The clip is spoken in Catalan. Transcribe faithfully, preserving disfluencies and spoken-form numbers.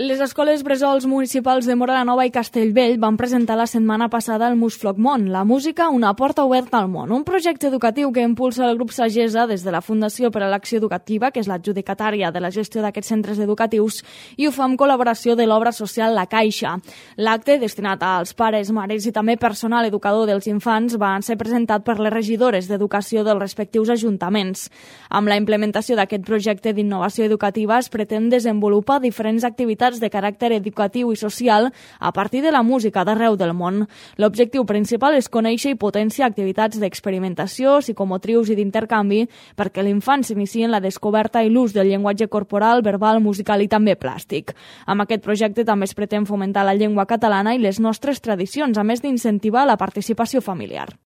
Les escoles bressols municipals de Móra la Nova i Castellvell van presentar la setmana passada el Musfloc Món, la música, una porta oberta al món, un projecte educatiu que impulsa el grup Sagesa des de la Fundació per a l'Acció Educativa, que és l'adjudicatària de la gestió d'aquests centres educatius, i ho fa amb col·laboració de l'obra social La Caixa. L'acte, destinat als pares, mares i també personal educador dels infants, va ser presentat per les regidores d'educació dels respectius ajuntaments. Amb la implementació d'aquest projecte d'innovació educativa es pretén desenvolupar diferents activitats de caràcter educatiu i social a partir de la música d'arreu del món. L'objectiu principal és conèixer i potenciar activitats d'experimentació, psicomotrius i d'intercanvi perquè l'infant s'inici en la descoberta i l'ús del llenguatge corporal, verbal, musical i també plàstic. Amb aquest projecte també es pretén fomentar la llengua catalana i les nostres tradicions, a més d'incentivar la participació familiar.